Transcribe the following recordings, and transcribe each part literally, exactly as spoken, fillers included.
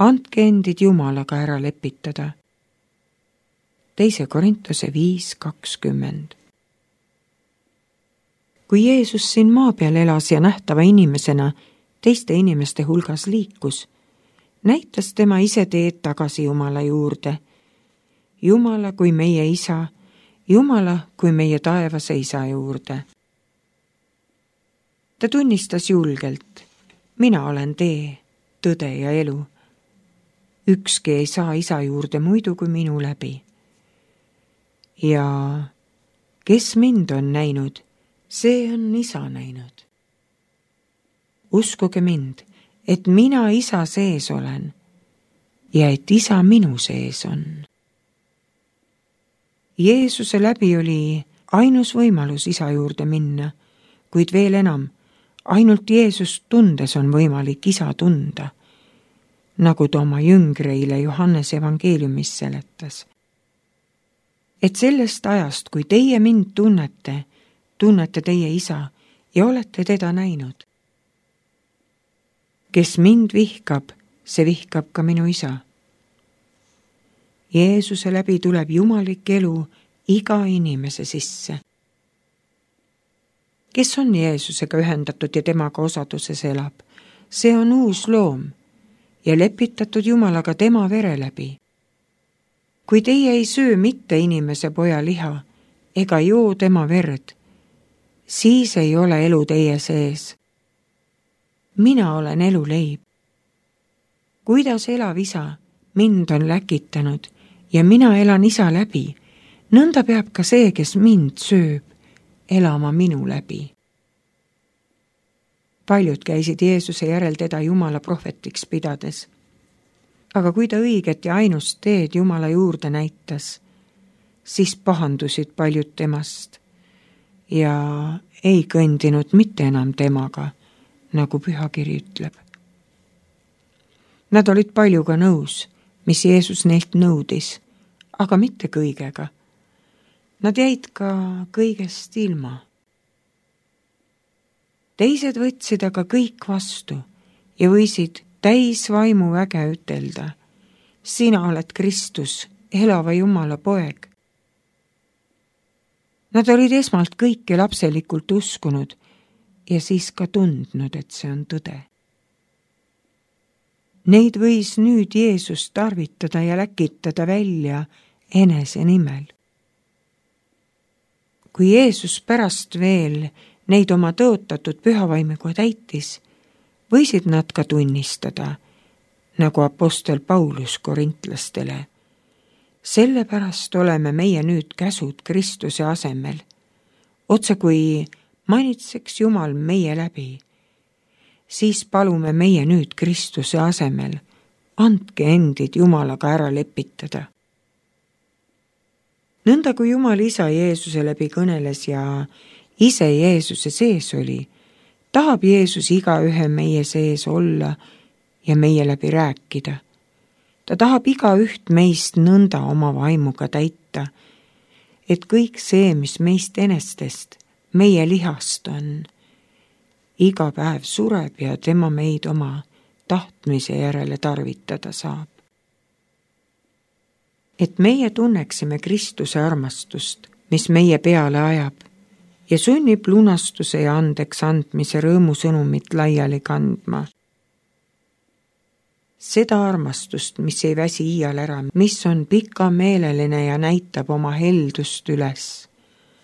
andke endid Jumalaga ära lepitada. teise Korintuse viis kakskümmend. Kui Jeesus siin maa peal elas ja nähtava inimesena teiste inimeste hulgas liikus, näitas tema ise teed tagasi Jumala juurde. Jumala kui meie isa, Jumala kui meie taevase isa juurde. Ta tunnistas julgelt, mina olen tee, tõde ja elu. Ükski ei saa isa juurde muidu kui minu läbi. Ja kes mind on näinud, see on isa näinud. Uskuge mind, et mina isa sees olen ja et isa minu sees on. Jeesuse läbi oli ainus võimalus isa juurde minna, kuid veel enam, ainult Jeesust tundes on võimalik isa tunda, nagu ta oma jüngreile Johannes evangeeliumis seletas. Et sellest ajast, kui teie mind tunnete, tunnete teie isa ja olete teda näinud. Kes mind vihkab, see vihkab ka minu isa. Jeesuse läbi tuleb jumalik elu iga inimese sisse. Kes on Jeesusega ühendatud ja temaga osaduses elab, see on uus loom ja lepitatud Jumalaga tema vere läbi. Kui teie ei söö mitte inimese poja liha ega joo tema verd, siis ei ole elu teie sees. Mina olen elu leib. Kuidas elav isa mind on läkitanud ja mina elan isa läbi, nõnda peab ka see, kes mind sööb, elama minu läbi. Paljud käisid Jeesuse järel teda Jumala prohvetiks pidades. Aga kui ta õiget ja ainust teed Jumala juurde näitas, siis pahandusid paljud temast ja ei kõndinud mitte enam temaga, nagu pühakiri ütleb. Nad olid paljuga nõus, mis Jeesus neilt nõudis, aga mitte kõigega. Nad jäid ka kõigest ilma. Teised võtsid aga kõik vastu ja võisid täis vaimu väge ütelda. Sina oled Kristus, elava Jumala poeg. Nad olid esmalt kõike lapselikult uskunud ja siis ka tundnud, et see on tõde. Neid võis nüüd Jeesus tarvitada ja läkitada välja enese nimel. Kui Jeesus pärast veel neid oma tõotatud pühavaimiga täitis, võisid nad ka tunnistada, nagu apostel Paulus korintlastele. Sellepärast oleme meie nüüd käsud Kristuse asemel, otse kui manitseks Jumal meie läbi. Siis palume meie nüüd Kristuse asemel, andke endid Jumalaga ära lepitada. Nõnda kui Jumal isa Jeesuse läbi kõneles ja ise Jeesuse sees oli, tahab Jeesus igaühe meie sees olla ja meie läbi rääkida. Ta tahab igaüht meist nõnda oma vaimuga täita, et kõik see, mis meist enestest, meie lihast on, iga päev sureb ja tema meid oma tahtmise järele tarvitada saab. Et meie tunneksime Kristuse armastust, mis meie peale ajab ja sunnib lunastuse ja andeks andmise rõõmusõnumit laiali kandma. Seda armastust, mis ei väsi iial ära, mis on pikameeleline ja näitab oma heldust üles.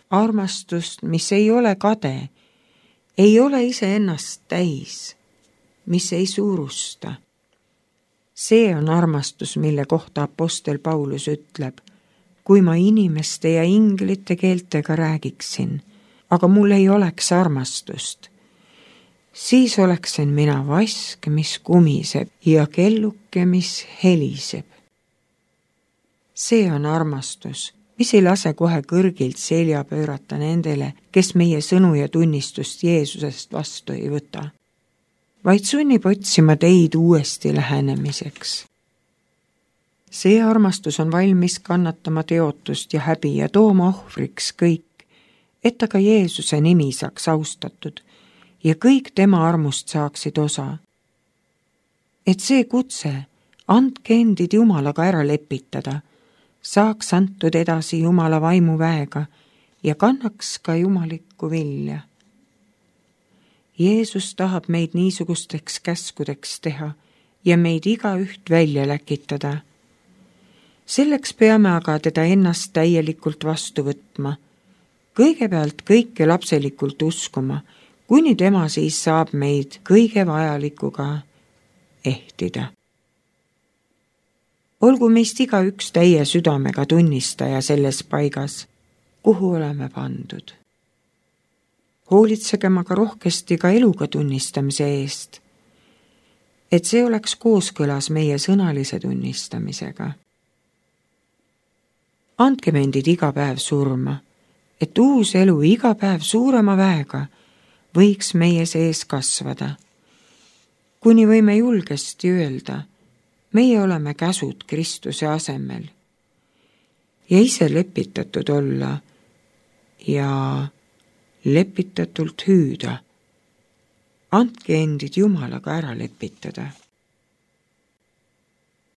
Armastust, mis ei ole kade, ei ole iseennast täis, mis ei suurusta. See on armastus, mille kohta apostel Paulus ütleb, kui ma inimeste ja inglite keeltega räägiksin, aga mul ei oleks armastust, siis oleksin mina vask, mis kumiseb ja kelluke, mis heliseb. See on armastus, mis ei lase kohe kõrgilt selja pöörata nendele, kes meie sõnu ja tunnistust Jeesusest vastu ei võta, vaid sunnib otsima teid uuesti lähenemiseks. See armastus on valmis kannatama teotust ja häbi ja tooma ohvriks kõik, et aga Jeesuse nimi saaks austatud ja kõik tema armust saaksid osa. Et see kutse andke endid Jumalaga ära lepitada, saaks antud edasi Jumala vaimu väega ja kannaks ka jumalikku vilja. Jeesus tahab meid niisugusteks käskudeks teha ja meid igaüht välja läkitada. Selleks peame aga teda ennast täielikult vastu võtma, kõigepealt kõike lapselikult uskuma, kuni tema siis saab meid kõige vajalikuga ehtida. Olgu meist igaüks täie südamega tunnistaja selles paigas, kuhu oleme pandud. Hoolitsegem aga rohkesti ka eluga tunnistamise eest, et see oleks kooskõlas meie sõnalise tunnistamisega. Andkem endid iga päev surma, et uus elu iga päev suurema väega võiks meie sees kasvada, kuni võime julgesti öelda, meie oleme käsud Kristuse asemel ja ise lepitatud olla ja lepitatult hüüda. Andke endid Jumalaga ära lepitada.